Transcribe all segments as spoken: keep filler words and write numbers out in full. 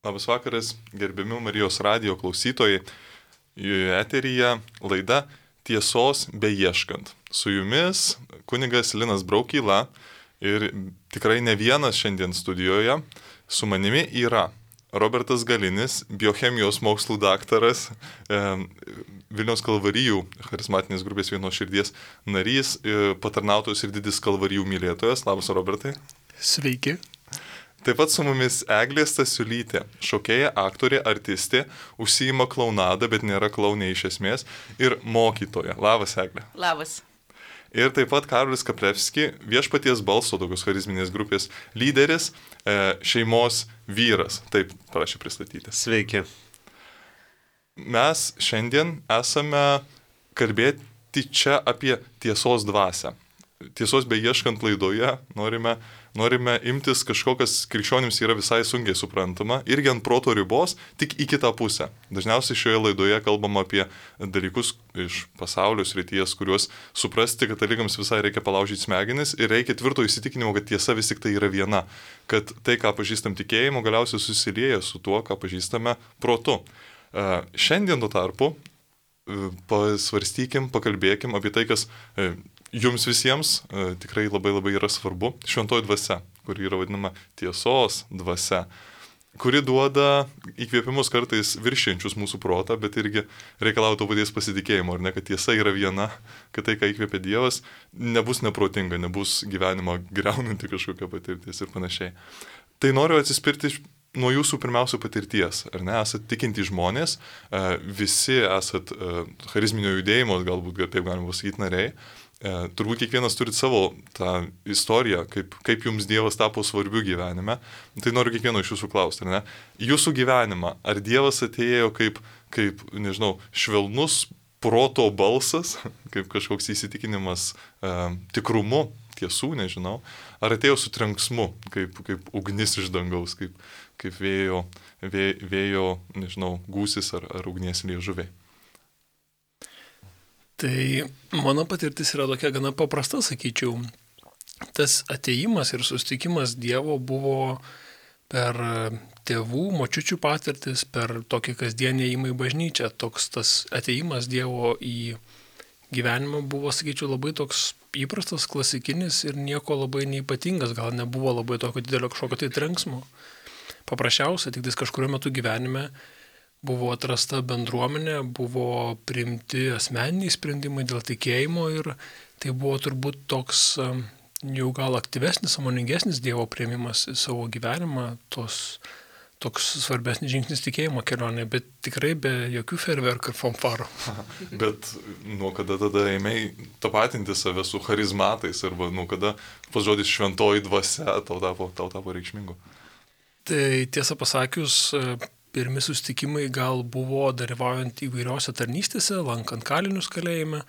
Labas vakaras, gerbiami Marijos radijo klausytojai. Eteryje laida Tiesos beieškant. Su jumis kunigas Linas Braukyla ir tikrai ne vienas šiandien studijoje. Su manimi yra Robertas Galinis, biochemijos mokslų daktaras, e, Vilniaus Kalvarijų charizmatinės grupės Vienos širdies narys, e, patarnautojas ir didis Kalvarijų mylėtojas. Labas, Robertai. Sveiki. Taip pat su mumis Eglė Stasiulytė, šokėja, aktorė, artistė, užsiima klaunadą, bet nėra klaunė iš esmės, ir mokytoja. Labas, Eglė. Labas. Ir taip pat Karolis Kaplevski, Viešpaties balso, tokios charizminės grupės lyderis, e, šeimos vyras. Taip prašė pristatyti. Sveiki. Mes šiandien esame kalbėti čia apie tiesos dvasią. Tiesos beieškant laidoje norime, norime imtis kažko, kas krikščionims yra visai sunkiai suprantama, irgi ant proto ribos, tik į kitą pusę. Dažniausiai šioje laidoje kalbam apie dalykus iš pasaulio srities, kuriuos suprasti katalikams visai reikia palaužyti smegenis ir reikia tvirto įsitikinimo, kad tiesa vis tik tai yra viena, kad tai, ką pažįstam tikėjimu, galiausiai susilieja su tuo, ką pažįstame protu. Šiandien tuo tarpu pasvarstykim, pakalbėkim apie tai, kas jums visiems e, tikrai labai labai yra svarbu, šventoji dvasia, kuri yra vadinama tiesos dvasia, kuri duoda įkvėpimus kartais viršiančius mūsų protą, bet irgi reikalauja to paties pasitikėjimo, ar ne, kad tiesa yra viena, kad tai, ką įkvėpia Dievas, nebus neprotinga, nebus gyvenimo greunanti kažkokia patirtis ir panašiai. Tai noriu atsispirti nuo jūsų pirmiausia patirties, ar ne, esat tikinti žmonės, e, visi esat e, charizminio judėjimo, galbūt taip galima pasakyti, nariai. E, turbūt kiekvienas turi savo tą istoriją, kaip, kaip jums Dievas tapo svarbiu gyvenime. Tai noriu kiekvieno iš jūsų klausti, ar ne? Jūsų gyvenimą, ar Dievas atėjo kaip, kaip nežinau, švelnus proto balsas, kaip kažkoks įsitikinimas e, tikrumu, tiesų, nežinau, ar atėjo su trenksmu, kaip, kaip ugnis iš dangaus, kaip, kaip vėjo, vėjo, vėjo, nežinau, gūsis ar, ar ugnies liežuviai. Tai mano patirtis yra tokia gana paprasta, sakyčiau. Tas atėjimas ir susitikimas Dievo buvo per tėvų, močiučių patirtis, per tokį kasdienį ėjimą į bažnyčią. Toks tas atėjimas Dievo į gyvenimą buvo, sakyčiau, labai toks įprastas, klasikinis ir nieko labai neypatingas, gal nebuvo labai tokio didelio kažkokio tai trenksmo. Paprasčiausia, tik tais kažkurio metu gyvenime buvo atrasta bendruomenė, buvo priimti asmeniniai sprendimai dėl tikėjimo ir tai buvo turbūt toks jau gal aktyvesnis, sąmoningesnis Dievo priėmimas į savo gyvenimą, tos, toks svarbesnis žingsnis tikėjimo kelionė, bet tikrai be jokių ferverkų ir fanfarų. Bet nuo kada tada ėmei tapatinti save su charizmatais arba nuo kada pas žodis šventoji dvasia tau tapo, tau tapo reikšmingu? Tai tiesą pasakius, pirmi susitikimai gal buvo dalyvaujant įvairiose tarnystėse, lankant kalinius kalėjime,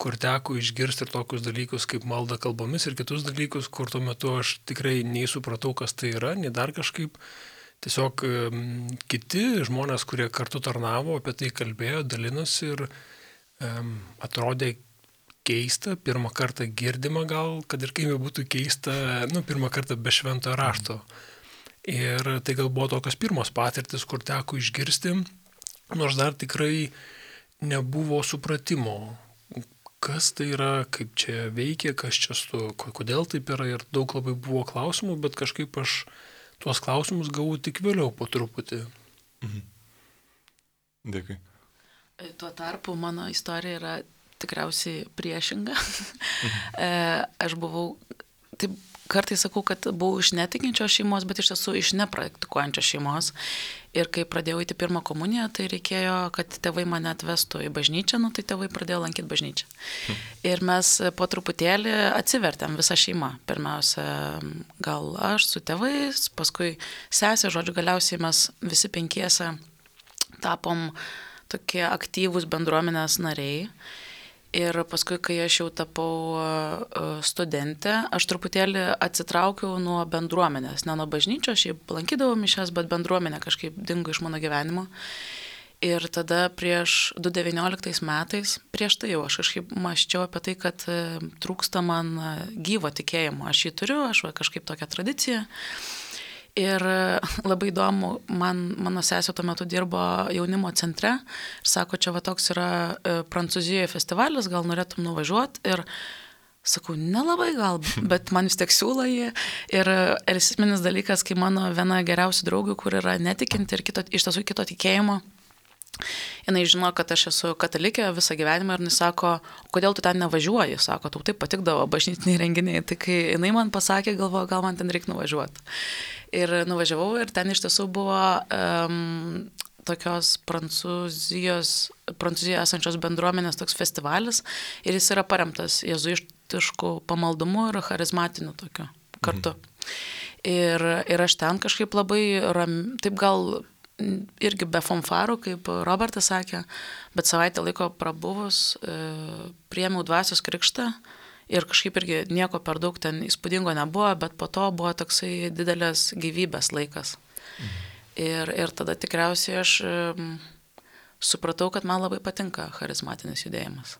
kur teko išgirsti ir tokius dalykus kaip malda kalbomis ir kitus dalykus, kur tuo metu aš tikrai nei supratau, kas tai yra, nei dar kažkaip. Tiesiog um, kiti žmonės, kurie kartu tarnavo, apie tai kalbėjo, dalinosi ir um, atrodė keista, pirmą kartą girdima gal, kad ir kaip būtų keista, nu, pirmą kartą be šventojo rašto. Ir tai gal buvo tokios pirmos patirtis, kur teko išgirsti, nors dar tikrai nebuvo supratimo, kas tai yra, kaip čia veikia, kas čia su, kodėl taip yra ir daug labai buvo klausimų, bet kažkaip aš tuos klausimus gavau tik vėliau po truputį. Mhm. Dėkui. Tuo tarpu mano istorija yra tikriausiai priešinga. Mhm. Aš buvau, taip kartais sakau, kad buvau iš netikinčios šeimos, bet iš tiesų iš nepraktikuojančios šeimos. Ir kai pradėjau eiti pirmą komuniją, tai reikėjo, kad tėvai mane atvestų į bažnyčią, nu tai tėvai pradėjo lankyti bažnyčią. Hmm. Ir mes po truputėlį atsivertėm visą šeimą. Pirmiausia, gal aš su tėvais, paskui sesė, žodžiu, galiausiai mes visi penkiese tapom tokie aktyvūs bendruomenės nariai. Ir paskui, kai aš jau tapau studentė, aš truputėlį atsitraukiau nuo bendruomenės, ne nuo bažnyčios, aš jau lankydavau mišias, bet bendruomenė kažkaip dingo iš mano gyvenimo. Ir tada prieš du tūkstančiai devynioliktais metais, prieš tai jau aš kažkaip mąsčiau apie tai, kad trūksta man gyvo tikėjimo. Aš jį turiu, aš va, kažkaip tokią tradiciją. Ir labai įdomu, man, mano sesė tuo metu dirbo jaunimo centre ir sako, čia va toks yra Prancūzijoje festivalis, gal norėtum nuvažiuoti. Ir sakau, nelabai gal, bet man vis tiek siūlo jį. Ir esminis dalykas, kai mano viena geriausių draugių, kur yra netikinti ir kito, iš tiesų kito tikėjimo, jinai žino, kad aš esu katalikė visą gyvenimą ir jis sako, kodėl tu ten nevažiuoji? Sako, tau taip patikdavo bažnytiniai renginiai. Tai kai jinai man pasakė, galvoju, gal man ten reikia nuvažiuoti. Ir nuvažiavau ir ten iš tiesų buvo um, tokios Prancūzijos, Prancūzijoje esančios bendruomenės toks festivalis ir jis yra paremtas jėzuitišku pamaldumu ir charizmatiniu tokiu kartu. Mhm. Ir, ir aš ten kažkaip labai ram, taip gal irgi be fanfarų, kaip Robertas sakė, bet savaitę laiko prabuvus, e, priėmiau dvasios krikštą ir kažkaip irgi nieko per daug ten įspūdingo nebuvo, bet po to buvo toksai didelės gyvybės laikas. Mhm. Ir, ir tada tikriausiai aš e, supratau, kad man labai patinka charizmatinis judėjimas.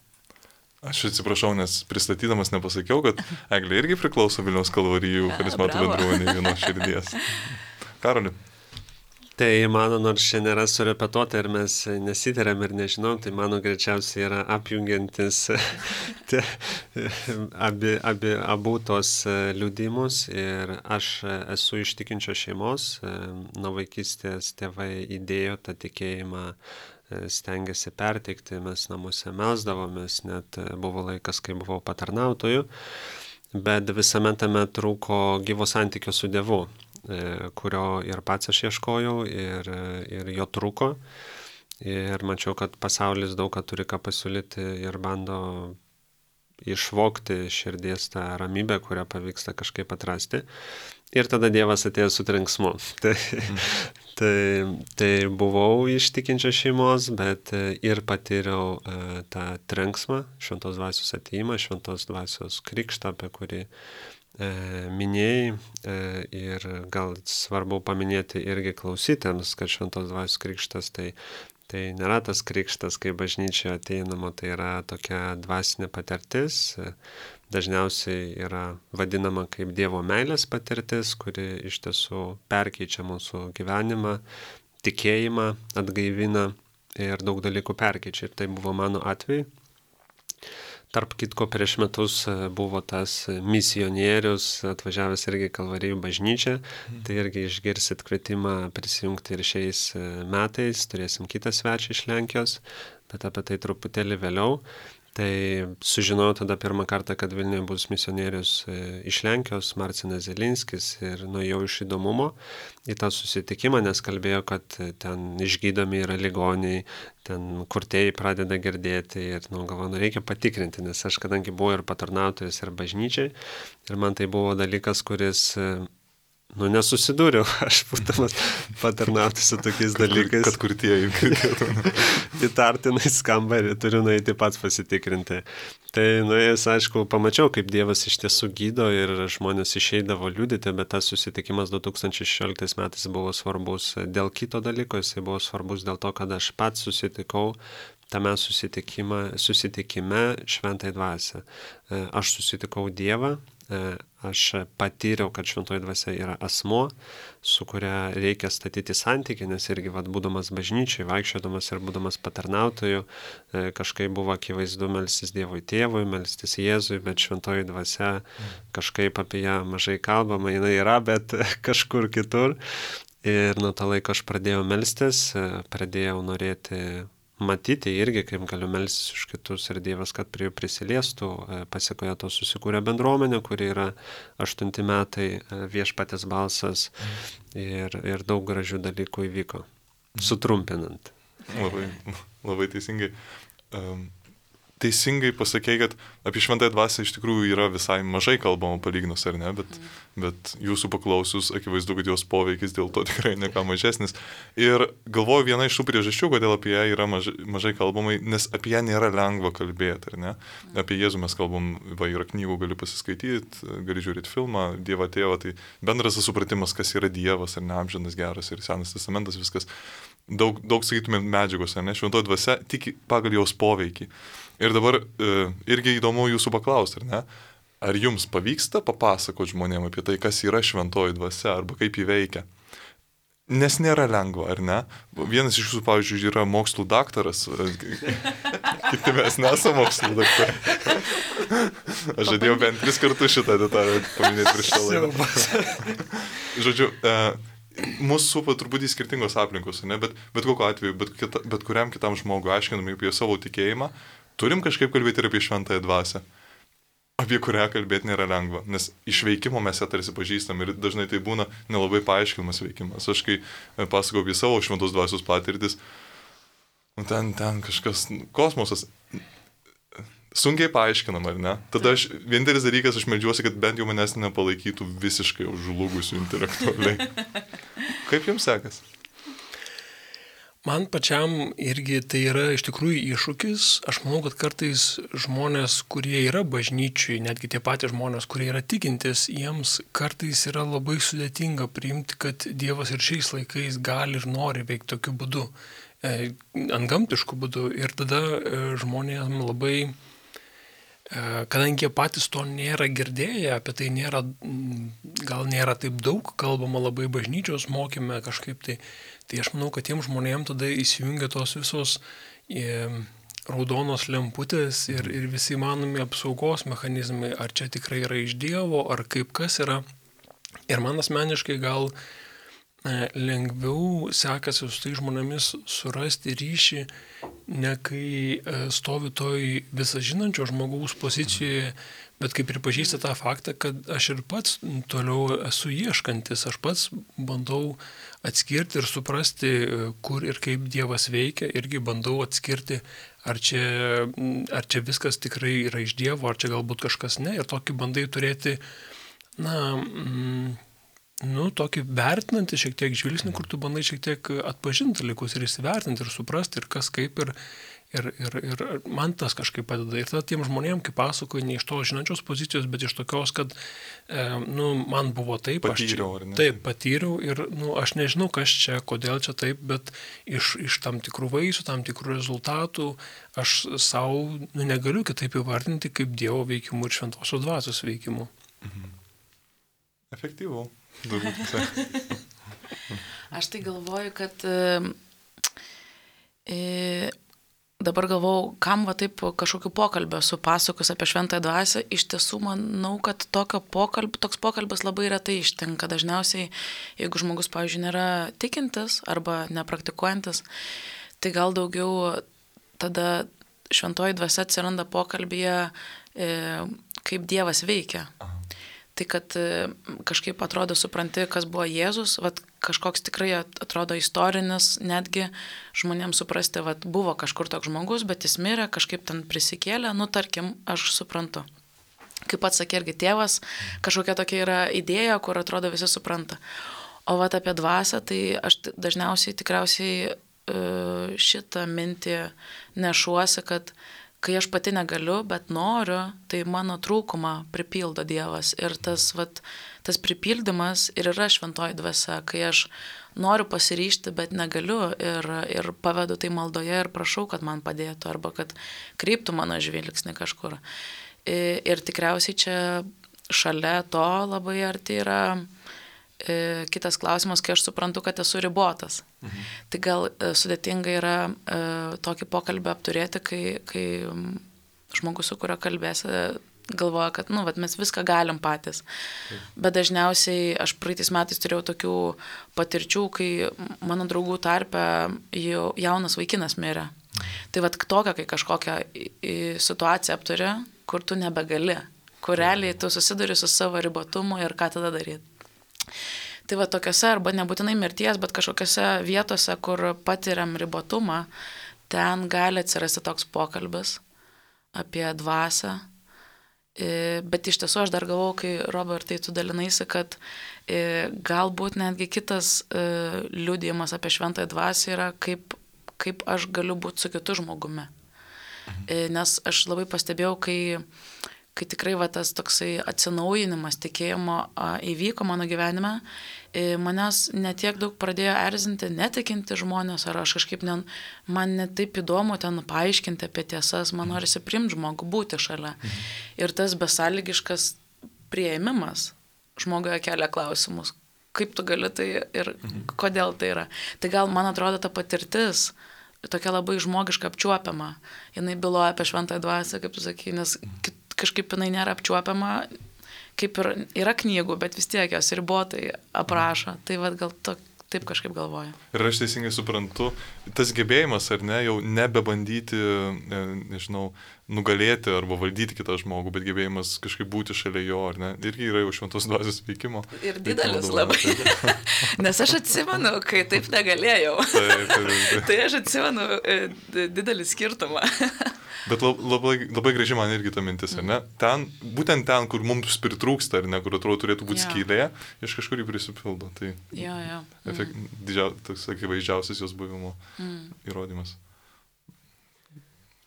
Aš atsiprašau, nes pristatydamas nepasakiau, kad Eglė irgi priklauso Vilniaus Kalvarijų charizmatų bendruomenė vienos širdies. Karoli. Tai mano, nors šiandien nėra surepetuota ir mes nesitarėm ir nežinom, tai mano greičiausiai yra apjungiantis te, abi, abi, abu tos liudimus. Ir aš esu iš tikinčios šeimos, nuo vaikystės tėvai įdėjo tą tikėjimą, stengiasi perteikti, mes namuose melsdavomės, net buvo laikas, kai buvau patarnautoju, bet visame tame trūko gyvo santykio su Dievu, kurio ir pats aš ieškojau ir, ir jo trūko. Ir mačiau, kad pasaulis daug ką turi ką pasiūlyti ir bando išvogti širdies tą ramybę, kurią pavyksta kažkaip atrasti. Ir tada Dievas atėjo su trenksmu. Tai, tai, tai buvau iš tikinčios šeimos, bet ir patyriau tą trenksmą, šventos dvasios atėjimą, šventos dvasios krikštą, apie kurį minėjai, ir gal svarbu paminėti irgi klausytėms, kad šventos dvasios krikštas tai, tai nėra tas krikštas, kai bažnyčioje ateinama, tai yra tokia dvasinė patirtis, dažniausiai yra vadinama kaip Dievo meilės patirtis, kuri iš tiesų perkeičia mūsų gyvenimą, tikėjimą, atgaivina ir daug dalykų perkeičia. Ir tai buvo mano atveju. Tarp kitko, prieš metus buvo tas misionierius, atvažiavęs irgi Kalvarijų bažnyčią, tai irgi išgirsit kvietimą prisijungti ir šiais metais, turėsim kitą svečią iš Lenkijos, bet apie tai truputėlį vėliau. Tai sužinojau tada pirmą kartą, kad Vilniuje bus misionierius iš Lenkijos, Marcinas Zelinskis, ir nuėjau iš įdomumo į tą susitikimą, nes kalbėjo, kad ten išgydomi yra ligoniai, ten kurtėjai pradeda girdėti ir, nu, galvoju, reikia patikrinti, nes aš kadangi buvau ir patarnautojas, ir bažnyčiai, ir man tai buvo dalykas, kuris, nu, nesusidūriau, aš būdamas patarnauti su tokiais dalykais. Kad kurtieji girdėtų. Įtartinai skamba ir turiu nueiti pats pasitikrinti. Tai nuėjęs, aišku, pamačiau, kaip Dievas iš tiesų gydo ir žmonės išeidavo liudyti, bet tas susitikimas du tūkstančiai šešioliktais metais buvo svarbus dėl kito dalyko, jisai buvo svarbus dėl to, kad aš pats susitikau tame susitikime, susitikime šventai dvasia. Aš susitikau Dievą, aš patyriau, kad šventoji dvasia yra asmuo, su kuria reikia statyti santykį, nes irgi, vat, būdamas bažnyčiai, vaikščiodamas ir būdamas patarnautoju, kažkaip buvo akivaizdu melstis Dievui Tėvui, melstis Jėzui, bet šventoji dvasia kažkaip apie ją mažai kalbama, jinai yra, bet kažkur kitur. Ir nuo to laiko aš pradėjau melstis, pradėjau norėti matyti irgi, kaip galiu melstis už kitus ir Dievas, kad prie jų prisiliestų. Pasiekoje to susikūrė bendruomenė, kuri yra aštunti metai, Viešpatės balsas, ir, ir daug gražių dalykų įvyko, sutrumpinant. Labai, labai teisingai. Um, teisingai pasakei, kad apie šventąją dvasią iš tikrųjų yra visai mažai kalbama palyginus, ar ne, bet, mm. bet jūsų paklausius, akivaizdu, kad jos poveikis dėl to tikrai ne ką mažesnis. Ir galvoju, viena iš tų priežasčių, kodėl apie ją yra mažai, mažai kalbama, nes apie ją nėra lengva kalbėti, ar ne? Mm. Apie Jėzų mes kalbam, va, yra knygų, gali pasiskaityti, gali žiūrėti filmą, Dievą Tėvą, tai bendras supratimas, kas yra Dievas, ar ne, amžinas, geras ir Senas testamentas, viskas. Daug, daug sakytume, medžiagos, ar ne, šventoji dvasia tik pagal jos poveikį. Ir dabar e, irgi įdomu jūsų paklausti, ar ne? ar jums pavyksta papasakoti žmonėms apie tai, kas yra šventoji dvasia arba kaip jį veikia? Nes nėra lengva, ar ne? Vienas iš jūsų, pavyzdžiui, yra mokslų daktaras, kiti mes nesame mokslų daktarai. Aš žadėjau bent tris kartus šitą detalę paminėti prieš šitą laidą. Žodžiu, e, mūsų supa turbūt į skirtingos aplinkos, ne? Bet, bet kokiu atveju, bet, kita, bet kuriam kitam žmogui aiškinami apie savo tikėjimą, turim kažkaip kalbėti ir apie šventąją dvasią, apie kurią kalbėti nėra lengva, nes iš veikimo mes ją tarsi pažįstam ir dažnai tai būna nelabai paaiškinamas veikimas. Aš kai pasakau apie savo šventos dvasios patirtis, ten, ten kažkas, kosmosas, sunkiai paaiškinama, ar ne? Tada aš, vienintelis dalykas, aš meldžiuosi, kad bent jau manęs nepalaikytų visiškai užžlugusių intelektualiai. Kaip jums sekas? Man pačiam irgi tai yra iš tikrųjų iššūkis. Aš manau, kad kartais žmonės, kurie yra bažnyčiai, netgi tie patys žmonės, kurie yra tikintis, jiems kartais yra labai sudėtinga priimti, kad Dievas ir šiais laikais gali ir nori veikti tokiu būdu, e, antgamtišku būdu. Ir tada e, žmonėms labai, e, kadangi jie patys to nėra girdėję, apie tai nėra, gal nėra taip daug kalbama labai bažnyčios mokyme kažkaip tai, tai aš manau, kad tiem žmonėms tada įsijungia tos visos e, raudonos lemputės ir, ir visi įmanomi apsaugos mechanizmai, ar čia tikrai yra iš Dievo, ar kaip kas yra. Ir man asmeniškai gal e, lengviau sekasi su tai žmonėmis surasti ryšį, ne kai e, stovi toj visažinančio žmogaus pozicijoje, bet kaip pripažįsta tą faktą, kad aš ir pats toliau esu ieškantis, aš pats bandau atskirti ir suprasti, kur ir kaip Dievas veikia, irgi bandau atskirti, ar čia, ar čia viskas tikrai yra iš Dievo, ar čia galbūt kažkas ne, ir tokį bandai turėti, na, mm, nu, tokį vertinantį šiek tiek žvilgsnį, kur tu bandai šiek tiek atpažinti dalykus ir įsivertinti ir suprasti, ir kas kaip, ir Ir, ir, ir man tas kažkaip padeda. Ir tada tiem žmonėm, kaip pasakoju, ne iš to žinančios pozicijos, bet iš tokios, kad e, nu, man buvo taip. Patyriau, ar ne? Taip, patyriau ir nu, aš nežinau, kas čia, kodėl čia taip, bet iš, iš tam tikrų vaisių, tam tikrų rezultatų aš savo nu, negaliu kitaip įvardinti kaip Dievo veikimų ir šventosios dvasios veikimų. Mhm. Efektyvu. Aš tai galvoju, kad e, e, dabar galvau, kam va taip kažkokiu pokalbio su pasakus apie šventąją dvasią, iš tiesų manau, kad tokio pokalb, toks pokalbis labai retai ištinka. Dažniausiai, jeigu žmogus, pavyzdžiui, nėra tikintis arba nepraktikuojantis, tai gal daugiau tada šventoji dvasia atsiranda pokalbyje, e, kaip Dievas veikia. Tai kad kažkaip atrodo supranti, kas buvo Jėzus, vat, kažkoks tikrai atrodo istorinis, netgi žmonėms suprasti, vat, buvo kažkur toks žmogus, bet jis mirė, kažkaip ten prisikėlė, nu tarkim, aš suprantu. Kaip pats sakė irgi tėvas, kažkokia tokia yra idėja, kur atrodo visi supranta. O vat apie dvasią, tai aš dažniausiai tikriausiai šitą mintį nešuosi, kad kai aš pati negaliu, bet noriu, tai mano trūkumą pripildo Dievas. Ir tas, vat, tas pripildymas ir yra šventoji dvasia, kai aš noriu pasiryžti, bet negaliu ir, ir pavedu tai maldoje ir prašau, kad man padėtų arba kad kreiptų mano žvilgsnį kažkur. Ir, ir tikriausiai čia šalia to labai arti yra e, kitas klausimas, kai aš suprantu, kad esu ribotas. Mhm. Tai gal e, sudėtinga yra e, tokį pokalbį apturėti, kai, kai žmogus, su kurio kalbėsi, galvoja, kad nu, vat, mes viską galim patys. Mhm. Bet dažniausiai aš praeitais metais turėjau tokių patirčių, kai mano draugų tarpe jau jaunas vaikinas mirė. Mhm. Tai vat tokia, kai kažkokią situaciją apturi, kur tu nebegali, kur realiai tu susiduri su savo ribotumu ir ką tada daryti. Tai va tokiose, arba nebūtinai mirties, bet kažkokiose vietose, kur patiriam ribotumą, ten gali atsirasti toks pokalbis apie dvasią. Bet iš tiesų aš dar galvau, kai Robertai tu dalinaisi, kad galbūt netgi kitas liudijimas apie šventąją dvasią yra, kaip, kaip aš galiu būti su kitu žmogumi. Nes aš labai pastebėjau, kai kai tikrai va, tas toksai atsinaujinimas tikėjimo a, įvyko mano gyvenime, e, manęs netiek daug pradėjo erzinti, netikinti žmonės, ar aš kažkaip, ne, man net taip įdomu ten paaiškinti apie tiesas, man norisi priimti žmogų, būti šalia. Ir tas besąlygiškas prieimimas žmogoje kelia klausimus, kaip tu gali tai ir kodėl tai yra. Tai gal, man atrodo, ta patirtis tokia labai žmogiška apčiuopiama. Jinai byloja apie šventąją dvasią, kaip tu sakai, nes kažkaip jinai nėra apčiuopiama, kaip ir yra knygų, bet vis tiek jos ribotai aprašo. Tai vad gal to, taip kažkaip galvoju. Ir aš teisingai suprantu, tas gebėjimas, ar ne, jau nebebandyti, nežinau, nugalėti arba valdyti kitą žmogų, bet gebėjimas kažkaip būti šalia jo, ar ne, irgi yra jau šventos dvasios veikimo. Ir didelis labai. Nes aš atsimenu, kai taip negalėjau. Taip, taip, taip. Tai aš atsimenu didelį skirtumą. Bet labai, labai graži man irgi ta mintis, ar ne? Ten, būtent ten, kur mums pritrūksta, ar ne, kur atrodo turėtų būti ja. skylė, iš kažkur jį prisipildo. Tai ja, ja. efekt, didžia, toks akivaizdžiausias jos buvimo mm. įrodymas.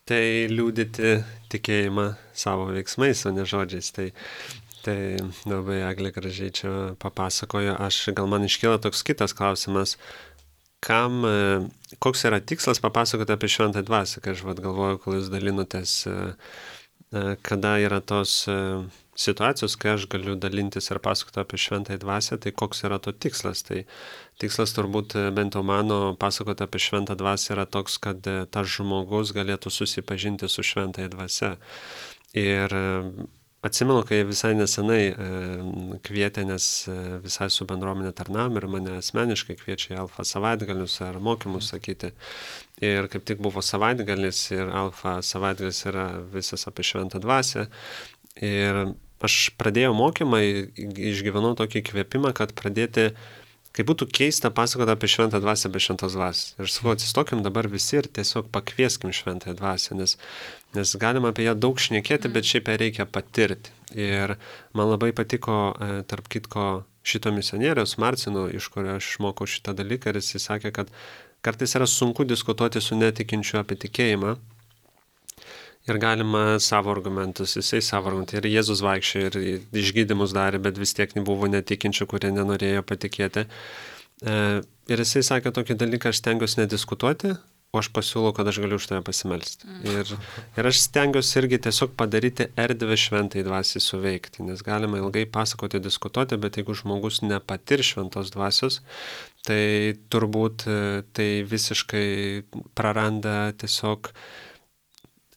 Tai liūdyti tikėjimą savo veiksmais, o ne žodžiais. Tai, tai labai Eglė gražiai čia papasakojo. Aš, gal man iškyla toks kitas klausimas, kam, koks yra tikslas papasakoti apie šventąją dvasią, kai aš vat galvoju, kol jūs dalinotės, kada yra tos situacijos, kai aš galiu dalintis ir pasakoti apie šventąją dvasią, tai koks yra to tikslas. Tai tikslas turbūt bent jau mano pasakoti apie šventą dvasią yra toks, kad tas žmogus galėtų susipažinti su šventąją dvasią. Ir atsimenu, kai visai nesenai kvietė, nes visai su bendruomenė tarnavom ir mane asmeniškai kviečia į Alfa savaitgalius ar mokymus sakyti. Ir kaip tik buvo savaitgalis ir Alfa savaitgalis yra visas apie šventą dvasią. Ir aš pradėjau mokymą, išgyvenau tokį kvėpimą, kad pradėti, kaip būtų keista pasakoti apie šventą dvasią be šventos dvasios. Ir sakau, atsistokim dabar visi ir tiesiog pakvieskim šventąją dvasią, nes, nes galima apie ją daug šnekėti, bet šiaip ją reikia patirti. Ir man labai patiko, tarp kitko, šito misionieriaus Marcino, iš kurio aš išmokau šitą dalyką, ir jis sakė, kad kartais yra sunku diskutuoti su netikinčiu apie tikėjimą. Ir galima savo argumentus, jisai savo argumentus. Ir Jėzus vaikščiojo ir išgydymus darė, bet vis tiek nebuvo netikinčių, kurie nenorėjo patikėti. Ir jisai sakė tokį dalyką, aš stengiuosi nediskutuoti, o aš pasiūlau, kad aš galiu už tave pasimelsti. Ir, ir aš stengiuosi irgi tiesiog padaryti erdvę šventai dvasiai suveikti, nes galima ilgai pasakoti, diskutuoti, bet jeigu žmogus nepatir šventos dvasios, tai turbūt tai visiškai praranda tiesiog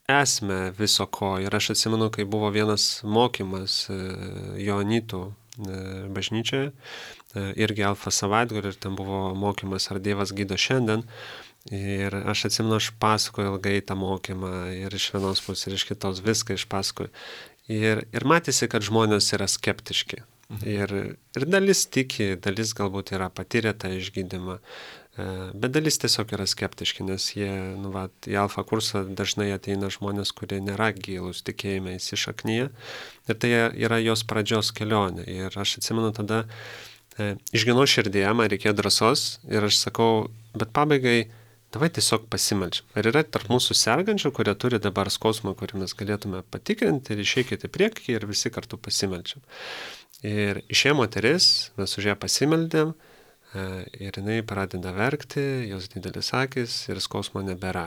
esmę viso ko. Ir aš atsimenu, kai buvo vienas mokymas Joanitų bažnyčioje, irgi Alfa savaitgalį, ir ten buvo mokymas, ar Dievas gydo šiandien. Ir aš atsimenu, aš pasakoju ilgai tą mokymą ir iš vienos pusės, ir iš kitos viską išpasakoju. Ir, ir matėsi, kad žmonės yra skeptiški. Ir, ir dalis tiki, dalis galbūt yra patyrę tą išgydymą. Bet dalis tiesiog yra skeptiški, nes jie, nu, va, į Alfa kursą dažnai ateina žmonės, kurie nėra gilūs tikėjime įsišaknyje. Ir tai yra jos pradžios kelionė. Ir aš atsimenu tada, e, išginau širdėje, man reikėjo drąsos ir aš sakau, bet pabaigai, davai tiesiog pasimeldžiam. Ar yra tarp mūsų sergančių, kurie turi dabar skausmą, kurį mes galėtume patikrinti, ir išeikite priekį ir visi kartu pasimeldžiam. Ir išėjo moteris, mes už ją pasimeldėm. Ir jinai pradeda verkti, jos didelis akis ir skausmo nebėra.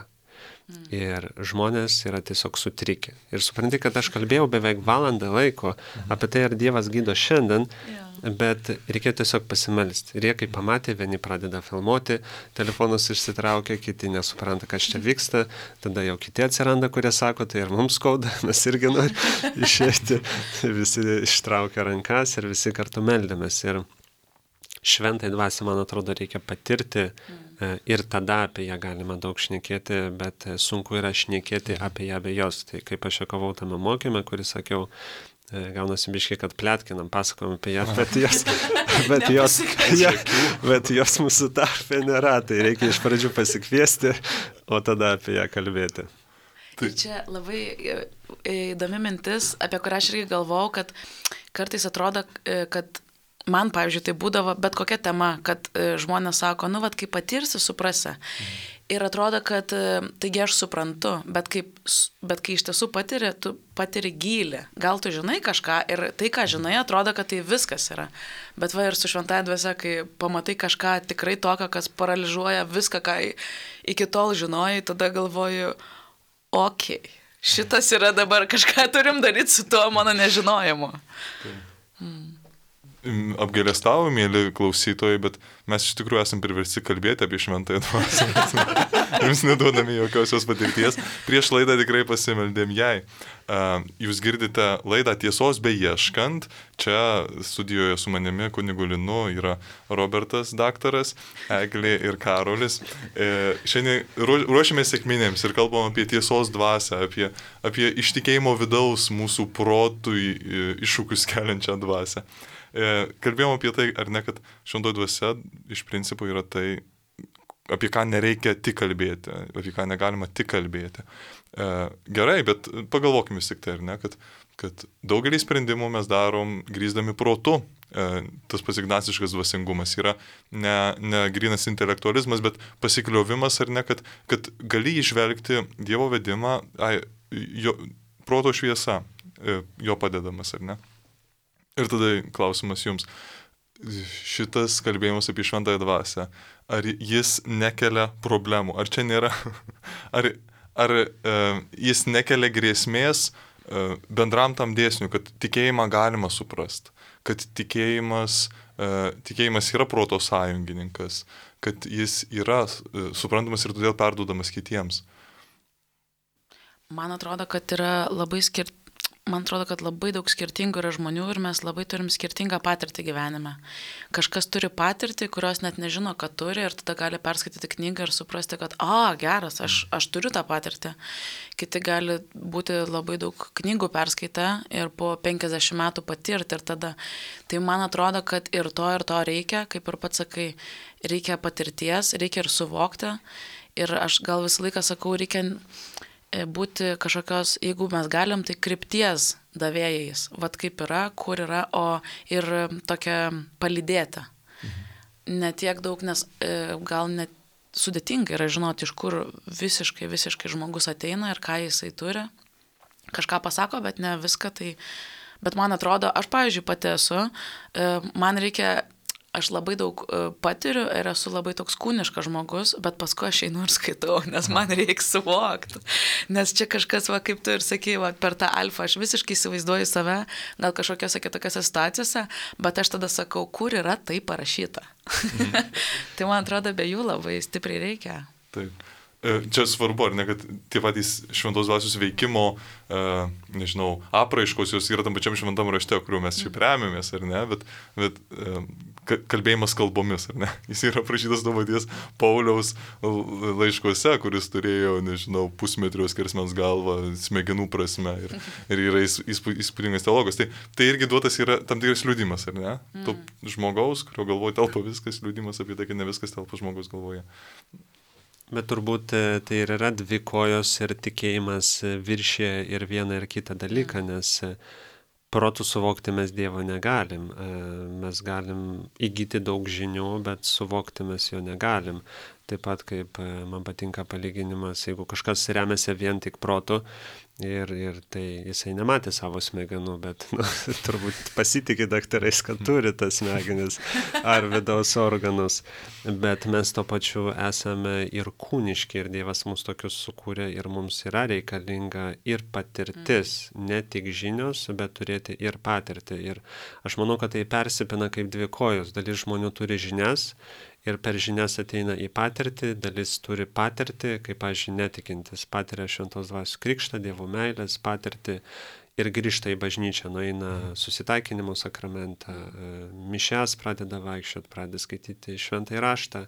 Mm. Ir žmonės yra tiesiog sutrikę. Ir supranti, kad aš kalbėjau beveik valandą laiko apie tai, ar Dievas gydo šiandien, yeah. bet reikėjo tiesiog pasimelsti. Ir jie, kai pamatė, vieni pradeda filmuoti, telefonus išsitraukia, kiti nesupranta, kas čia vyksta, tada jau kiti atsiranda, kurie sako, tai ir mums skauda, mes irgi norime išėti. Visi ištraukia rankas ir visi kartu meldėmės. Ir šventai dvasiai, man atrodo, reikia patirti mm. ir tada apie ją galima daug šnekėti, bet sunku yra šnekėti apie ją be jos. Tai kaip aš juokavau tame mokyme, kurį sakiau, gaunasi biškai, kad plėtkinam, pasakojam apie ją, bet jos, bet jos, ja, bet jos mūsų tarpe nėra, tai reikia iš pradžių pasikviesti, o tada apie ją kalbėti. Tai čia labai įdomi mintis, apie kurią aš irgi galvojau, kad kartais atrodo, kad man, pavyzdžiui, tai būdavo bet kokia tema, kad e, žmonės sako, nu, vat, kai patirsi, suprasi. Mhm. Ir atrodo, kad e, taigi aš suprantu, bet, kaip, bet kai iš tiesų patiri, tu patiri gylį. Gal tu žinai kažką ir tai, ką žinai, atrodo, kad tai viskas yra. Bet va ir su šventąja dvasia, kai pamatai kažką tikrai tokio, kas paralyžuoja viską, ką iki tol žinojai, tada galvoju, okei, okay, šitas yra dabar, kažką turim daryti su tuo mano nežinojimu. Mm. Apgailestauju, mėly klausytojai, bet mes iš tikrųjų esam priversti kalbėti apie šventąją dvasią. Jums neduodami jokios jos patirties. Prieš laidą tikrai pasimeldėm jai. Jūs girdite laidą Tiesos beieškant. Čia studijoje su manimi kunigu Linu yra Robertas daktaras, Eglė ir Karolis. Šiandien ruošiamės sekminėms ir kalbam apie tiesos dvasią, apie, apie ištikėjimo vidaus mūsų protui iššūkius keliančią dvasią. Kalbėjom apie tai, ar ne, kad šventoji dvasia iš principo yra tai, apie ką nereikia tik kalbėti, apie ką negalima tik kalbėti. Gerai, bet pagalvokime tik tai, ar ne, kad, kad daugelį sprendimų mes darom grįsdami protu. Tas pats ignaciškas dvasingumas yra ne, ne grynas intelektualizmas, bet pasikliovimas, ar ne, kad, kad gali išvelgti Dievo vedimą, ai, jo, proto šviesa, jo padedamas, ar ne. Ir tada klausimas jums, šitas kalbėjimas apie šventąją dvasią, ar jis nekelia problemų, ar čia nėra, ar, ar e, jis nekelia grėsmės e, bendram tam dėsniui, kad tikėjimą galima suprasti, kad tikėjimas, e, tikėjimas yra proto sąjungininkas, kad jis yra e, suprantamas ir todėl perduodamas kitiems. Man atrodo, kad yra labai skirti. Man atrodo, kad labai daug skirtingų yra žmonių ir mes labai turim skirtingą patirtį gyvenime. Kažkas turi patirtį, kurios net nežino, kad turi ir tada gali perskaityti knygą ir suprasti, kad, a, geras, aš, aš turiu tą patirtį. Kiti gali būti labai daug knygų perskaitę ir po penkiasdešimt metų patirti ir tada. Tai man atrodo, kad ir to, ir to reikia, kaip ir pats sakai, reikia patirties, reikia ir suvokti. Ir aš gal visą laiką sakau, reikia būti kažkokios, jeigu mes galim, tai krypties davėjais. Vat kaip yra, kur yra, o ir tokia palydėta. Mhm. Ne tiek daug, nes e, gal net sudėtinga yra žinoti, iš kur visiškai, visiškai žmogus ateina ir ką jisai turi. Kažką pasako, bet ne viską. Tai, bet man atrodo, aš, pavyzdžiui, pati esu, e, man reikia, aš labai daug patiriu ir esu labai toks kūniškas žmogus, bet paskui aš einu ir skaitau, nes man reikia suvokti. Nes čia kažkas, va, kaip tu ir sakei, va, per tą alfą aš visiškai įsivaizduoju save, gal kažkokiose kitokiose situacijose, bet aš tada sakau, kur yra tai parašyta. Mhm. Tai man atrodo, be jų labai stipriai reikia. Taip. Čia svarbu, ar ne, kad tie patys šventos dvasios veikimo, uh, nežinau, apraiškos jos yra tam pačiam šventam rašte, kuriuo mes šiaip remiamės, ar ne, bet, bet uh, kalbėjimas kalbomis, ar ne. Jis yra aprašytas to paties Pauliaus laiškuose, kuris turėjo, nežinau, pusmetrio skersmens galvą, smegenų prasme ir, ir yra įspūdingas teologas. Tai, tai irgi duotas yra tam tikras liudimas, ar ne? Mm. To žmogaus, kurio galvoje telpa viskas, liudimas apie tai, kad ne viskas telpa žmogaus galvoje. Bet turbūt tai ir yra dvi kojos ir tikėjimas viršė ir vieną ir kitą dalyką, nes protų suvokti mes Dievo negalim. Mes galim įgyti daug žinių, bet suvokti mes jo negalim. Taip pat kaip man patinka palyginimas, jeigu kažkas remiasi vien tik protu ir, ir tai jisai nematė savo smegenų, bet nu, turbūt pasitikė daktarais, kad turi tas smegenis ar vidaus organus. Bet mes to pačiu esame ir kūniški ir Dievas mus tokius sukūrė ir mums yra reikalinga ir patirtis, ne tik žinios, bet turėti ir patirtį. Ir aš manau, kad tai persipina kaip dvi kojos. Dalis žmonių turi žinias ir per žinias ateina į patirtį, dalis turi patirtį, kaip, pavyzdžiui, netikintis, patiria šventos dvasios krikštą, Dievo meilės patirtį ir grįžta į bažnyčią, nueina susitaikinimo sakramentą, mišias pradeda vaikščioti, pradeda skaityti šventąjį raštą,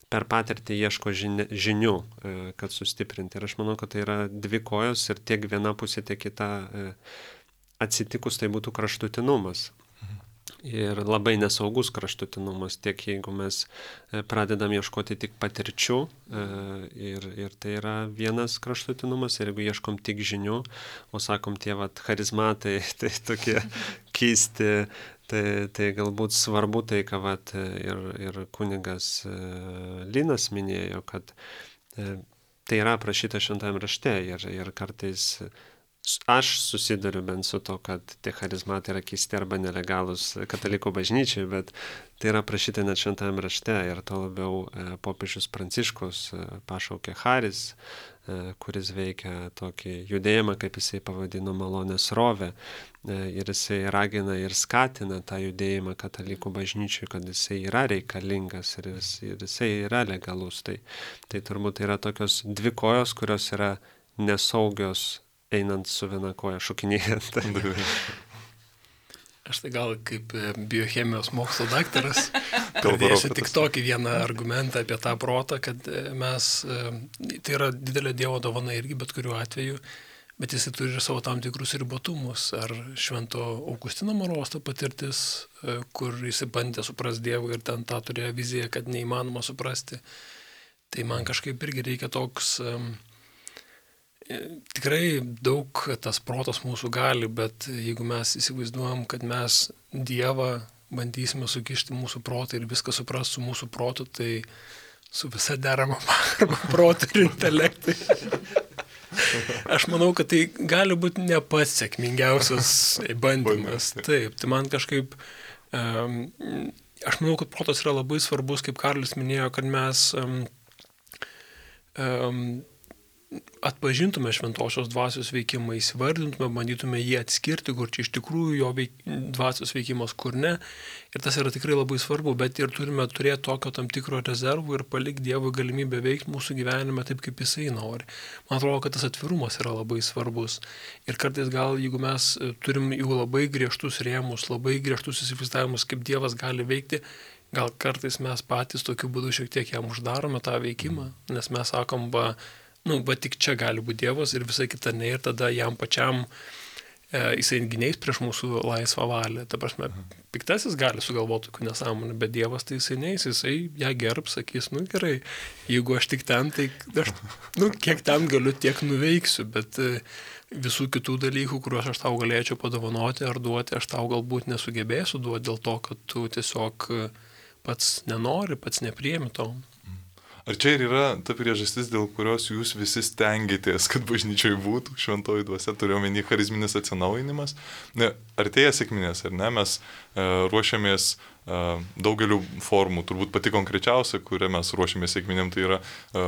per patirtį ieško žinių, kad sustiprinti. Ir aš manau, kad tai yra dvi kojos ir tiek viena pusė, tiek kita atsitikus tai būtų kraštutinumas. ir labai nesaugus kraštutinumas, tiek jeigu mes pradedam ieškoti tik patirčių, ir, ir tai yra vienas kraštutinumas, ir jeigu ieškom tik žinių, o sakom tie vat charizmatai, tai tokie keisti, tai, tai galbūt svarbu tai, ką vat ir, ir kunigas Linas minėjo, kad tai yra aprašyta šventajame rašte ir, ir kartais aš susiduriu bent su to, kad tie charizmatai yra keisti arba nelegalūs katalikų bažnyčiai, bet tai yra aprašyta net šventajame rašte ir to labiau e, popiežius Pranciškus e, pašaukė charis, e, kuris veikia tokį judėjimą, kaip jisai pavadino malonės rovę, e, ir jisai ragina ir skatina tą judėjimą katalikų bažnyčiai, kad jisai yra reikalingas ir, jis, ir jisai yra legalus. Tai, tai turbūt yra tokios dvi kojos, kurios yra nesaugios einant su viena koja šokinėjant. Aš tai gal kaip biochemijos mokslo daktaras pradėsiu tik tokį vieną argumentą apie tą protą, kad mes, tai yra didelė Dievo dovana irgi bet kuriuo atveju, bet jis turi ir savo tam tikrus ribotumus. Ar Švento Augustino Morosto patirtis, kur jis bandė suprasti Dievą ir ten tą turėjo viziją, kad neįmanoma suprasti. Tai man kažkaip irgi reikia toks... Tikrai daug tas protas mūsų gali, bet jeigu mes įsivaizduojam, kad mes Dievą bandysime sukišti mūsų protą ir viską supras su mūsų protu, tai su visa derama pagarba protu ir intelektui. Aš manau, kad tai gali būti ne pats sėkmingiausias bandymas. Taip, tai man kažkaip, um, aš manau, kad protas yra labai svarbus, kaip Karolis minėjo, kad mes um, um, atpažintume šventosios dvasios veikimą, įsivardintume, bandytume jį atskirti, kur čia iš tikrųjų jo veik, dvasios veikimas, kur ne. Ir tas yra tikrai labai svarbu, bet ir turime turėti tokio tam tikro rezervų ir palikti Dievui galimybę veikti mūsų gyvenime taip, kaip jisai nori. Man atrodo, kad tas atvirumas yra labai svarbus. Ir kartais gal, jeigu mes turim jau labai griežtus rėmus, labai griežtus įsivaizdavimus, kaip Dievas gali veikti, gal kartais mes patys tokiu būdu šiek tiek jam uždarome tą veikimą, nes mes sakom, va, nu, bet tik čia gali būti Dievas ir visai kita ne, ir tada jam pačiam e, jisai gyniais prieš mūsų laisvą valią. Ta prasme, piktasis gali sugalvoti tokių nesąmonę, bet Dievas tai jisai neis, jisai ją gerbs, sakys, nu gerai, jeigu aš tik ten, tai aš, nu, kiek ten galiu, tiek nuveiksiu, bet e, visų kitų dalykų, kuriuos aš tau galėčiau padovanoti ar duoti, aš tau galbūt nesugebėsiu duoti dėl to, kad tu tiesiog pats nenori, pats nepriemi to. Ar čia ir yra ta priežastis, dėl kurios jūs visi stengiatės, kad bažnyčioje būtų šventoji dvasia, turiu omeny charizminis atsinaujinimas? Ne, artėja sekminės, ar ne? Mes e, ruošiamės e, daugeliu formų, turbūt pati konkrečiausia, kurią mes ruošiamės sekminėm, tai yra e,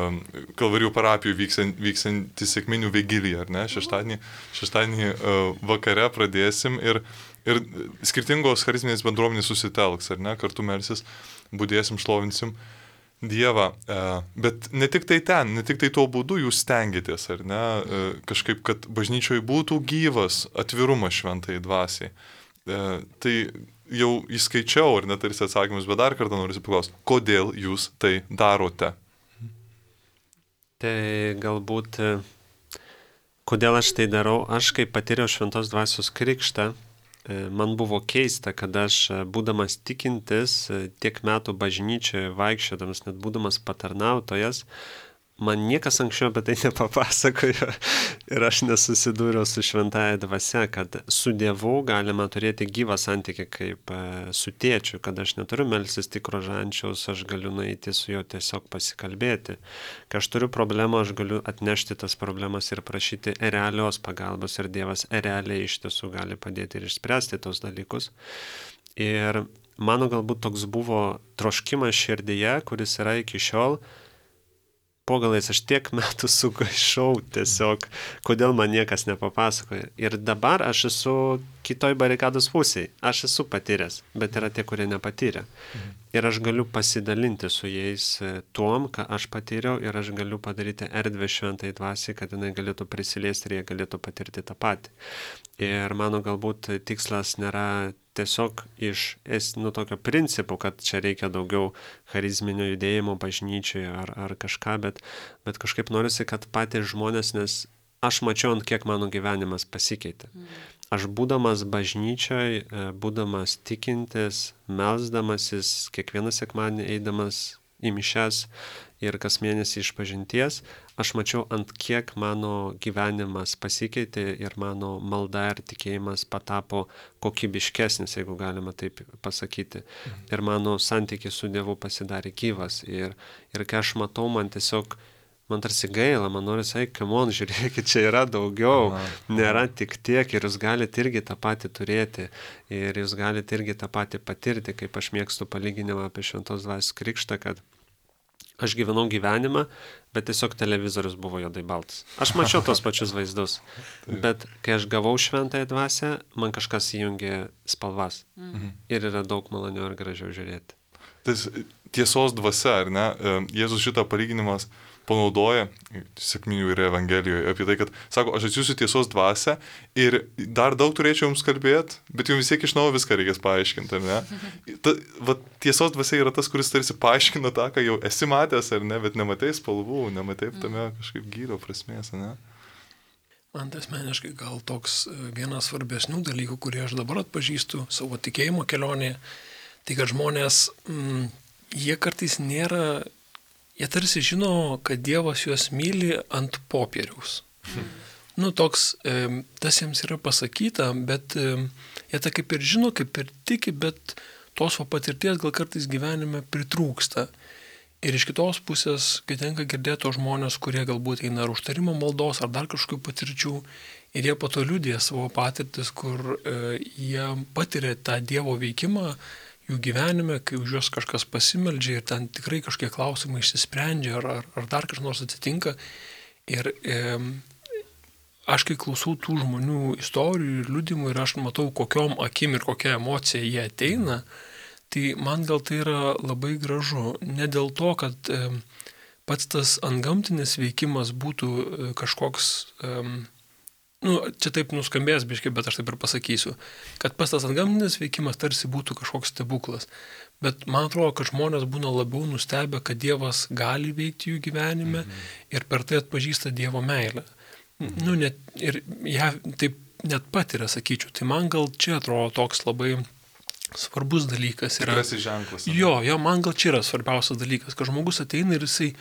Kalvarijų parapijų vyksianti vyksant sekminių vigilija, ar ne? Šeštadienį, šeštadienį e, vakare pradėsim ir, ir skirtingos charizminės bendruomenės susitelks, ar ne? Kartu melsis, budėsim, šlovinsim Dievą, bet ne tik tai ten, ne tik tai tuo būdu jūs stengiatės, ar ne, kažkaip, kad bažnyčioje būtų gyvas atvirumas šventai dvasiai. Tai jau įskaičiau, ar net tarsi atsakymus, bet dar kartą noriu paklausti, kodėl jūs tai darote? Tai galbūt, kodėl aš tai darau, aš kai patyriau šventos dvasios krikštą, man buvo keista, kad aš, būdamas tikintis, tiek metų bažnyčioje vaikščiodamas, net būdamas patarnautojas, man niekas anksčiau apie tai nepapasakojo ir aš nesusidūriau su šventąja dvasia, kad su Dievu galima turėti gyvą santykį kaip su tėčiu, kad aš neturiu melstis tik rožančiaus, aš galiu nueiti su juo tiesiog pasikalbėti. Kai aš turiu problemą, aš galiu atnešti tas problemas ir prašyti realios pagalbos ir Dievas realiai iš tiesų gali padėti ir išspręsti tos dalykus. Ir mano galbūt toks buvo troškimas širdyje, kuris yra iki šiol. Po galais aš tiek metų sugaišau tiesiog, kodėl man niekas nepapasakoja. Ir dabar aš esu kitoj barikados pusėje. Aš esu patyręs, bet yra tie, kurie nepatyrė. Mhm. Ir aš galiu pasidalinti su jais tuom, ką aš patyriau, ir aš galiu padaryti erdvę šventai dvasiai, kad jinai galėtų prisiliesti ir jie galėtų patirti tą patį. Ir mano galbūt tikslas nėra tiesiog iš nu, tokio principų, kad čia reikia daugiau charizminio judėjimo bažnyčioje ar, ar kažką, bet, bet kažkaip norisi, kad patys žmonės, nes aš mačiau, ant kiek mano gyvenimas pasikeitė. aš būdamas bažnyčioj, būdamas tikintis, melsdamasis, kiekvieną sekmadienį eidamas į mišias ir kas mėnesį išpažinties, aš mačiau, ant kiek mano gyvenimas pasikeitė ir mano malda ir tikėjimas patapo kokybiškesnis, jeigu galima taip pasakyti. Ir mano santykis su Dievu pasidarė gyvas. Ir, ir kai aš matau, man tiesiog, man tarsi gaila, man nori sakyti, come on, žiūrėkit, čia yra daugiau, nėra tik tiek ir jūs galite irgi tą patį turėti ir jūs galite irgi tą patį patirti, kaip aš mėgstu palyginimą apie Šventos Dvasios krikštą, kad aš gyvenau gyvenimą, bet tiesiog televizorius buvo juodai baltas. Aš mačiau tos pačius vaizdus, bet kai aš gavau Šventąją Dvasią, man kažkas įjungė spalvas mhm. ir yra daug maloniau ir gražiau žiūrėti. Tas tiesos dvasia, ar ne? Jėzus šitą palyginimas panaudoja sekminių ir Evangelijoje apie tai, kad sako, aš atsiųsiu tiesos dvasią ir dar daug turėčiau jums kalbėti, bet jums vis tiek iš naujo viską reikės paaiškinti, ar ne? Ta, va, tiesos dvasia yra tas, kuris tarsi paaiškina tą, ką jau esi matęs, ar ne, bet nematai spalvų, nematai tame kažkaip gyro prasmės, ar ne? Man tai asmeniškai gal toks vienas svarbesnių dalykų, kurie aš dabar atpažįstu savo tikėjimo kelionėje, tai kad žmonės, mm, jie kartais nėra, jie tarsi žino, kad Dievas juos myli ant popieriaus. Hmm. Nu, toks, e, tas jiems yra pasakyta, bet e, jie tą kaip ir žino, kaip ir tiki, bet tos va patirties gal kartais gyvenime pritrūksta. Ir iš kitos pusės, kai tenka girdėti tos žmonės, kurie galbūt eina ar užtarimo maldos, ar dar kažkokių patirčių, ir jie po to liudija savo patirtis, kur e, jie patiria tą Dievo veikimą jų gyvenime, kai už juos kažkas pasimeldžia ir ten tikrai kažkiek klausimai išsisprendžia ar, ar, ar dar kažkas nors atsitinka. Ir e, aš kai klausau tų žmonių istorijų ir liudimų ir aš matau, kokiom akim ir kokia emocija jie ateina, tai man gal tai yra labai gražu. Ne dėl to, kad e, pats tas antgamtinis veikimas būtų e, kažkoks... E, Nu, čia taip nuskambės biškai, bet aš taip ir pasakysiu, kad pas tas antgamtinis veikimas tarsi būtų kažkoks stebuklas. Bet man atrodo, kad žmonės būna labiau nustebę, kad Dievas gali veikti jų gyvenime mhm. ir per tai atpažįsta Dievo meilę. Mhm. Nu, net, ir ją taip net patiria, sakyčiau. Tai man gal čia atrodo toks labai svarbus dalykas. Tikrasis ženklas. Jo, jo, man gal čia yra svarbiausias dalykas, kad žmogus ateina ir jisai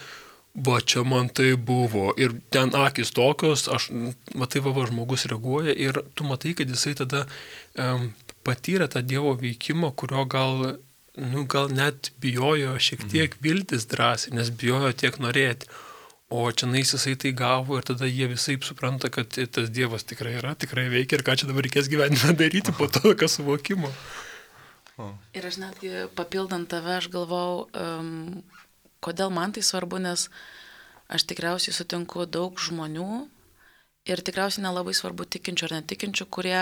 va, čia man tai buvo, ir ten akis tokios, aš, matai, va, va, žmogus reaguoja ir tu matai, kad jisai tada um, patyrė tą Dievo veikimą, kurio gal, nu, gal net bijojo šiek tiek viltis drąsiai, nes bijojo tiek norėti. O čia nais jisai tai gavo ir tada jie visai supranta, kad tas Dievas tikrai yra, tikrai veikia ir ką čia dabar reikės gyvenime daryti po to, kas suvokimo. Ir aš netgi papildant tave, aš galvau, um, kodėl man tai svarbu, nes aš tikriausiai sutinku daug žmonių ir tikriausiai nelabai svarbu tikinčių ar netikinčių, kurie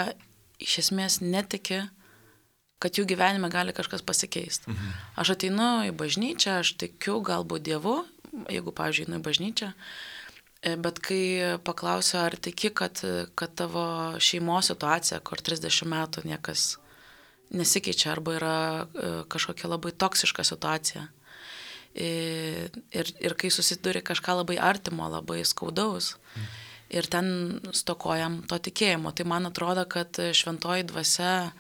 iš esmės netiki, kad jų gyvenime gali kažkas pasikeisti. Mhm. Aš ateinu į bažnyčią, aš tikiu galbūt Dievu, jeigu, pavyzdžiui, einu į bažnyčią, bet kai paklausiu, ar tiki, kad, kad tavo šeimos situacija, kur trisdešimt metų niekas nesikeičia arba yra kažkokia labai toksiška situacija, Ir, ir, ir kai susiduri kažką labai artimo, labai skaudaus mm. ir ten stokojam to tikėjimo, tai man atrodo, kad Šventoji Dvasia,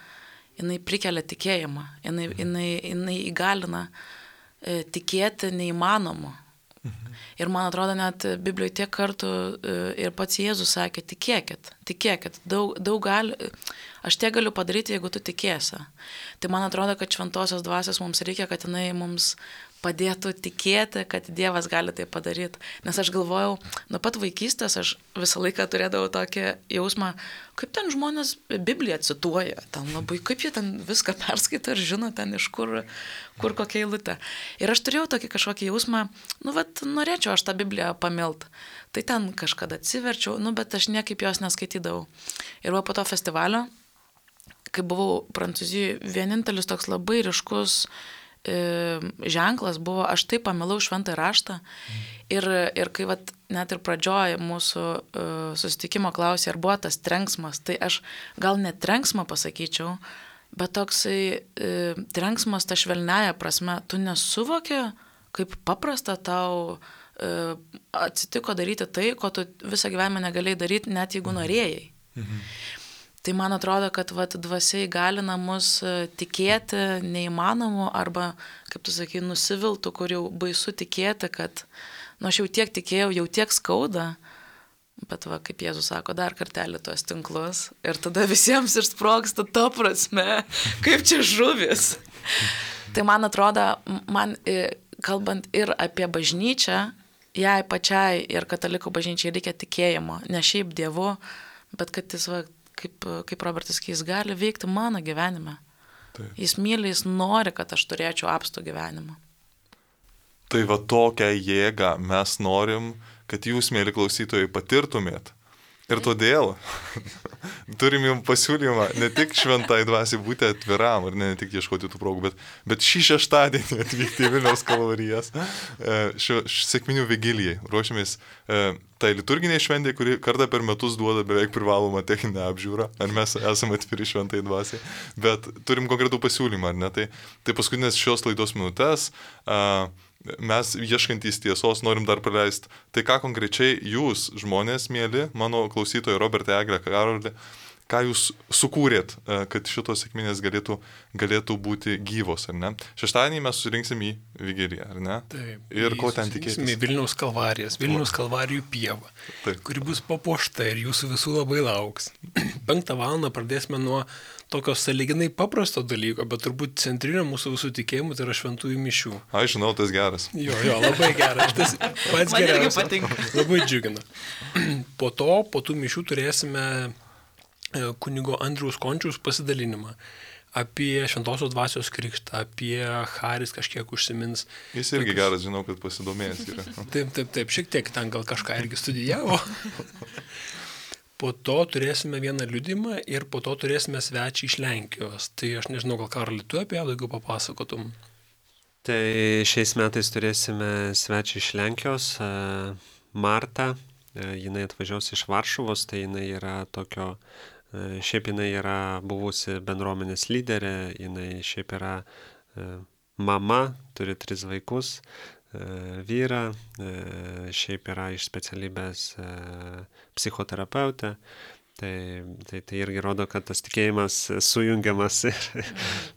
jinai prikelia tikėjimą, jinai, jinai, jinai įgalina e, tikėti neįmanomu. Mhm. Ir man atrodo, net Biblijoje tiek kartų e, ir pats Jėzus sakė, tikėkit, tikėkit, daug, daug gali, aš tiek galiu padaryti, jeigu tu tikėsi. Tai man atrodo, kad Šventosios Dvasios mums reikia, kad jinai mums padėtų tikėti, kad Dievas gali tai padaryti. Nes aš galvojau, nuo pat vaikystės aš visą laiką turėdavau tokį jausmą, kaip ten žmonės Bibliją cituoja, ten labai, kaip jie ten viską perskaito ir žino ten iš kur, kur kokia eilutė. Ir aš turėjau tokį kažkokį jausmą, nu, vat, norėčiau aš tą Bibliją pamilt. Tai ten kažkada atsiverčiau, nu, bet aš niekaip jos neskaitydavau. Ir va po to festivalio, kai buvau Prancūzijoje, vienintelis toks labai ryškus ženklas buvo, aš taip pamilau šventą raštą ir, ir kai vat, net ir pradžioje mūsų uh, susitikimo klausė, ar buvo tas trenksmas, tai aš gal net trenksmą pasakyčiau, bet toksai uh, trenksmas ta švelniaja prasme, tu nesuvoki, kaip paprasta tau uh, atsitiko daryti tai, ko tu visą gyvenimą negalėjai daryti, net jeigu norėjai. Mhm. Tai man atrodo, kad vat, dvasia įgalina mus tikėti neįmanomu arba, kaip tu sakai, nusiviltų, kur jau baisu tikėti, kad, nu, aš jau tiek tikėjau, jau tiek skauda, bet va, kaip Jėzus sako, dar kartelį tuos tinklus ir tada visiems ir sprogsta to prasme, kaip čia žuvis. Tai man atrodo, man kalbant ir apie bažnyčią, jai pačiai ir katalikų bažnyčiai reikia tikėjimo, ne šiaip Dievu, bet kad jis, va, kaip, kaip Robertas sakė, jis gali veikti mano gyvenime. Taip. Jis myli, jis nori, kad aš turėčiau apstų gyvenimą. Tai va tokią jėgą mes norim, kad jūs, mėly klausytojai, patirtumėt. Ir todėl turim jums pasiūlymą ne tik šventai dvasiai būti atviram ir ne, ne tik ieškoti tų progų, bet, bet šį šeštadienį atvykti į Vilniaus kalvarijas šio sekminių vigilijai. Ruošiamės e, tai liturginiai šventė, kuri kartą per metus duoda beveik privalomą techninę apžiūrą, ar mes esame atviri šventai dvasiai, bet turim konkretų pasiūlymą, ar ne? Tai, tai paskutinės šios laidos minutės. E, Mes ieškantys tiesos norim dar praleisti. Tai ką konkrečiai jūs, žmonės, mėly, mano klausytojai Robertai, Eglė, Karolė, ką jūs sukūrėt, kad šitos sekminės galėtų, galėtų būti gyvos, ar ne? Šeštadienį mes susirinksim į vigiliją, ar ne? Taip. Ir ko ten tikėtis? Į Vilniaus kalvarijas, Vilniaus kalvarijų pieva, Taip. Kuri bus papuošta ir jūsų visų labai lauks. Penktą valandą pradėsime nuo tokio sąlyginai paprasto dalyko, bet turbūt centrinio mūsų visų tikėjimų tai yra šventųjų mišių. Aš žinau, tas geras. Jo, jo, labai geras. Tas pats geriausias. Labai džiugina. Po to, po tų mišių turėsime kunigo Andriaus Končiaus pasidalinimą apie šventosios dvasios krikštą, apie Haris kažkiek užsimins. Jis irgi tokius... geras, žinau, kad pasidomėjęs yra. Taip, taip, taip, šiek tiek ten gal kažką irgi studijavo. Po to turėsime vieną liudimą ir po to turėsime svečią iš Lenkijos. Tai aš nežinau, gal Karoli, tu apie ją daugiau papasakotum. Tai šiais metais turėsime svečią iš Lenkijos, Martą. Jinai atvažiuos iš Varšuvos, tai jinai yra tokio, šiaip jinai yra buvusi bendruomenės lyderė, jinai šiaip yra mama, turi tris vaikus. Vyrą, šiaip yra iš specialybės psichoterapeutė, tai, tai, tai irgi rodo, kad tas tikėjimas sujungiamas ir,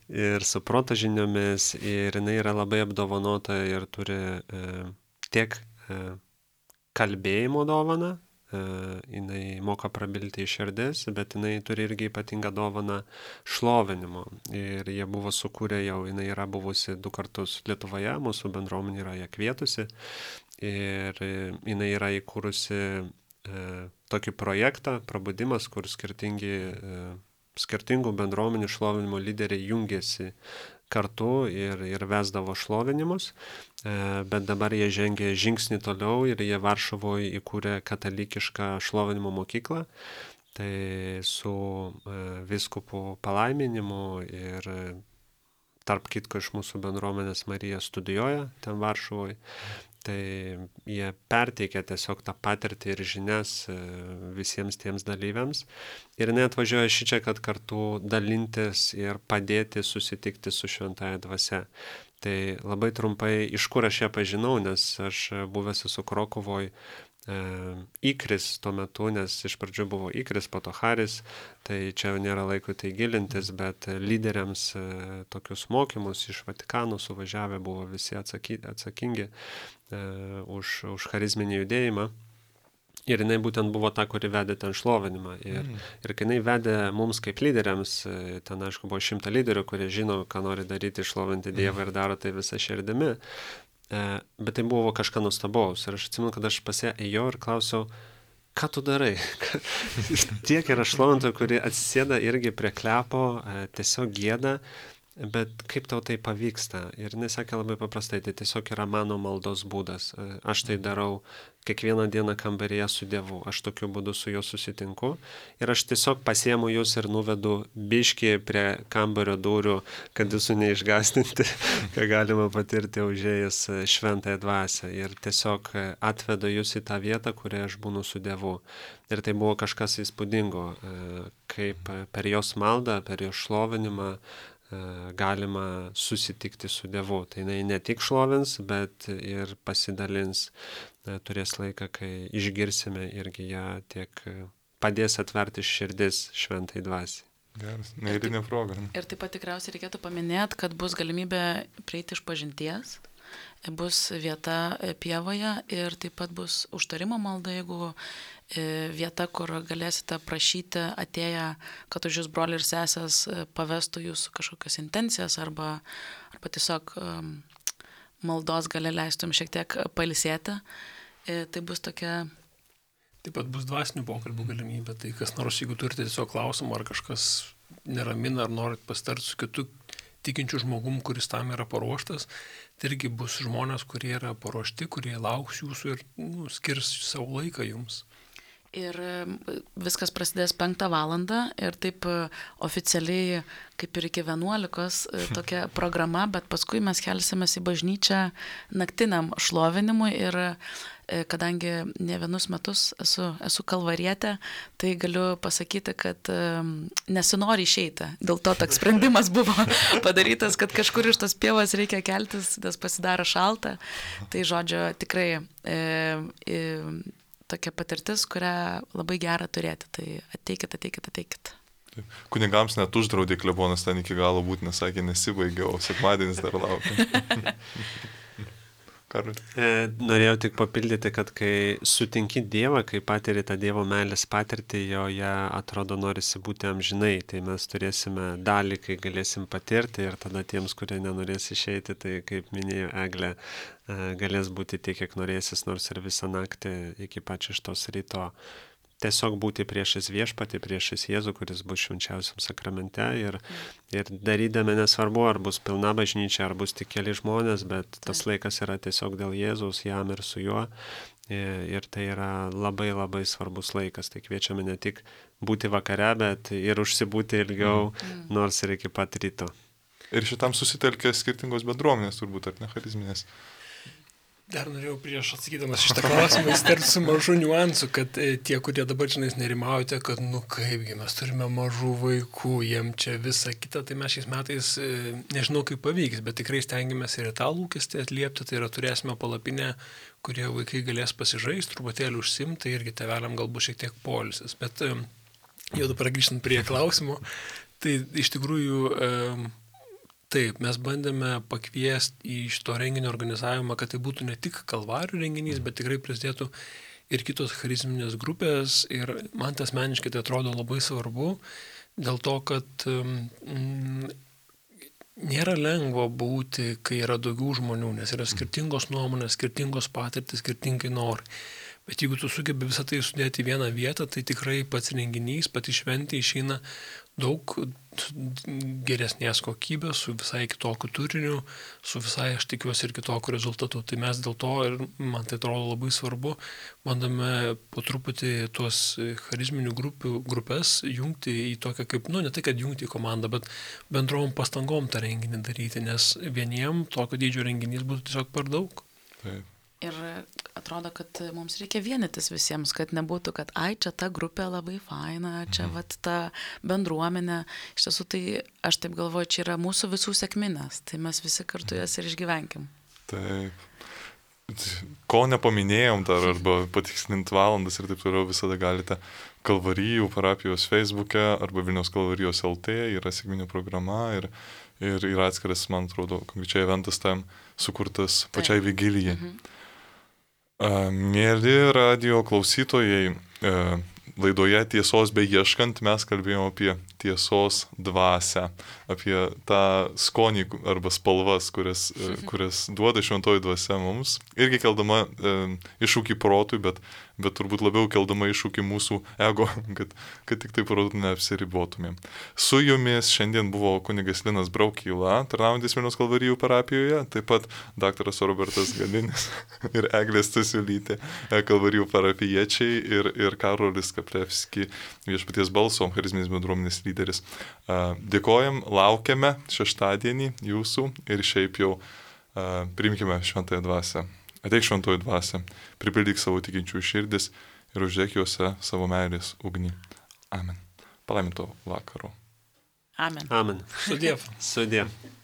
ir su proto žiniomis, ir jinai yra labai apdovanota ir turi tiek kalbėjimo dovaną, jinai moka prabilti iš širdis, bet jinai turi irgi ypatingą dovaną šlovinimo. Ir jie buvo sukūrę jau, jinai yra buvusi du kartus Lietuvoje, mūsų bendruomenė yra ją kvietusi. Ir jinai yra įkūrusi e, tokį projektą, prabudimas, kur skirtingi, e, skirtingų bendruomenių šlovinimo lyderiai jungėsi kartu ir, ir vesdavo šlovinimus, bet dabar jie žengė žingsnį toliau ir jie Varšuvoje įkūrė katalikišką šlovinimo mokyklą, tai su vyskupų palaiminimu ir tarp kitko iš mūsų bendruomenės Marija studijuoja ten Varšuvoje. Tai jie perteikia tiesiog tą patirtį ir žinias visiems tiems dalyviams. Ir jinai atvažiuoja šičia, kad kartu dalintis ir padėti susitikti su šventąja dvasia. Tai labai trumpai, iš kur aš ją pažinau, nes aš buvęs esu Krokuvoj, Ikris tuo metu, nes iš pradžių buvo Ikris, po to Haris, tai čia nėra laiko tai gilintis, bet lyderiams tokius mokymus iš Vatikano suvažiavę buvo visi atsaky, atsakingi už, už charizminį judėjimą. Ir jinai būtent buvo ta, kuri vedė ten šlovinimą. Ir, mm. ir kai jinai vedė mums kaip lyderiams, ten aišku buvo šimta lyderių, kurie žino, ką nori daryti, šlovinti Dievą mm. ir daro tai visą širdimi. Bet tai buvo kažką nuostabaus. Ir aš atsimenu, kad aš pas ją ėjau ir klausiau, ką tu darai? Tiek yra šlovintojų, kurie atsisėda irgi prie klepo, tiesiog gieda, bet kaip tau tai pavyksta? Ir jinai sakė labai paprastai, tai tiesiog yra mano maldos būdas. Aš tai darau kiekvieną dieną kambaryje su Dievu. Aš tokiu būdu su juo susitinku. Ir aš tiesiog pasiemu jūs ir nuvedu biškį prie kambario durų, kad jūsų neišgastinti, ką galima patirti užėjus šventąją dvasią. Ir tiesiog atvedu jūs į tą vietą, kurioje aš būnu su Dievu. Ir tai buvo kažkas įspūdingo, kaip per jos maldą, per jos šlovinimą galima susitikti su Dievu. Tai jinai ne tik šlovins, bet ir pasidalins, turės laiką, kai išgirsime irgi ją tiek padės atverti širdis šventai dvasiai. Geras, neįlinė proga. Ir taip pat tikriausiai reikėtų paminėti, kad bus galimybė prieiti iš pažinties, bus vieta pievoje ir taip pat bus užtarimo malda, jeigu vieta, kur galėsite prašyti atėję, kad už jūs broliai ir sesės pavestų jūsų kažkokias intencijas arba, arba tiesiog maldos gali leistum šiek tiek pailsėti. Tai bus tokia... Taip pat bus dvasinių pokalbių galimybė, tai kas nors, jeigu turite tiesiog klausimą, ar kažkas neramina, ar norit pasitarti su kitu tikinčiu žmogum, kuris tam yra paruoštas, tai irgi bus žmonės, kurie yra paruošti, kurie lauks jūsų ir nu, skirs savo laiką jums. Ir viskas prasidės penktą valandą ir taip oficialiai kaip ir iki vienuolikos tokia programa, bet paskui mes kelsimės į bažnyčią naktiniam šlovinimui ir kadangi ne vienus metus esu, esu kalvarietė, tai galiu pasakyti, kad nesinori išeiti. Dėl to toks sprendimas buvo padarytas, kad kažkur iš tos pievos reikia keltis, nes pasidaro šalta. Tai žodžio tikrai e, e, tokia patirtis, kurią labai gera turėti. Tai ateikit, ateikit, ateikit. Kunigams net uždraudė klebonas ten iki galo būti, nes sakė, nesibaigė, o sekmadienis dar laukia. E, norėjau tik papildyti, kad kai sutinki Dievą, kai patiri tą Dievo meilės patirtį, joje atrodo norisi būti amžinai, tai mes turėsime dalį, kai galėsim patirti ir tada tiems, kurie nenorės išeiti, tai kaip minėjo Eglė, galės būti tiek, kiek norėsis, nors ir visą naktį iki pačio šitos ryto. Tiesiog būti priešais viešpatį, priešais Jėzų, kuris bus švenčiausiam sakramente ir, ir darydami nesvarbu, ar bus pilna bažnyčia, ar bus tik keli žmonės, bet tas laikas yra tiesiog dėl Jėzaus, jam ir su juo. Ir, ir tai yra labai labai svarbus laikas. Tai kviečiame ne tik būti vakare, bet ir užsibūti ilgiau, mm. nors ir iki pat ryto. Ir šitam susitelkia skirtingos bendruomenės, turbūt, ar ne charizminės. Dar norėjau prieš atsakydamas šitą klausimą įsterti su mažu niuansu, kad e, tie, kurie dabar žinais nerimaujate, kad nu kaipgi mes turime mažų vaikų, jiem čia visa kita, tai mes šiais metais e, nežinau kaip pavyks, bet tikrai stengiamės ir tą lūkestį atliepti, tai yra turėsime palapinę, kurie vaikai galės pasižaisti, truputėlį užsimti, tai irgi tėveliam galbūt šiek tiek poilsis. Bet e, jau dabar grįžtant prie klausimų, tai iš tikrųjų... E, Taip, mes bandėme pakviesti į šito renginio organizavimą, kad tai būtų ne tik kalvarijų renginys, bet tikrai prisidėtų ir kitos charizminės grupės ir man tas asmeniškai tai atrodo labai svarbu, dėl to, kad mm, nėra lengva būti, kai yra daugiau žmonių, nes yra skirtingos nuomonės, skirtingos patirtis, skirtingai norai. Bet jeigu tu sugebi visą tai sudėti į vieną vietą, tai tikrai pats renginys, pati šventė išeina daug geresnės kokybės, su visai kitokiu turiniu, su visai, aš tikiuosi, ir kitokiu rezultatu. Tai mes dėl to, ir man tai atrodo labai svarbu, bandome po truputį tuos charizminių grupių, grupės jungti į tokią kaip, nu ne tai, kad jungti į komandą, bet bendrom pastangom tą renginį daryti, nes vieniem tokio dydžio renginys būtų tiesiog per daug. Taip. Ir atrodo, kad mums reikia vienytis visiems, kad nebūtų, kad ai, čia ta grupė labai faina, čia vat ta bendruomenė. Iš tiesų, tai aš taip galvoju, čia yra mūsų visų sekminės, tai mes visi kartu jas ir išgyvenkim. Taip. Ko nepaminėjom dar, arba patikslint valandas ir taip toliau, visada galite Kalvarijų parapijos Facebook'e arba Vilniaus Kalvarijos L T, yra sekminių programa ir, ir yra atskiras, man atrodo, konkrečiai eventas tam sukurtas pačiai vigilijai. Mhm. Mėly radio klausytojai, laidoje Tiesos beieškant mes kalbėjome apie tiesos dvasią, apie tą skonį arba spalvas, kurias, kurias duoda šventoji dvasia mums. Irgi keldama e, iššūkį protui, bet, bet turbūt labiau keldama iššūkį mūsų ego, kad, kad tik tai protų neapsiribotumėm. Su jumis šiandien buvo kunigas Linas Braukyla, tarnaujantis Vilniaus Kalvarijų parapijoje, taip pat daktaras Robertas Galinis ir Eglė Stasiulytė, Kalvarijų parapijiečiai ir, ir Karolis Kaplevski, Viešpaties balso, charizminės bendruomenės lyderis. Dėkojam, laukiame šeštadienį jūsų ir šiaip jau priimkime šventąją dvasią. Ateik šventoji dvasia, pripildyk savo tikinčių širdis ir uždėk juose savo meilės ugnį. Amen. Palaiminto vakaro. Amen. Amen. Sudiev. Sudiev.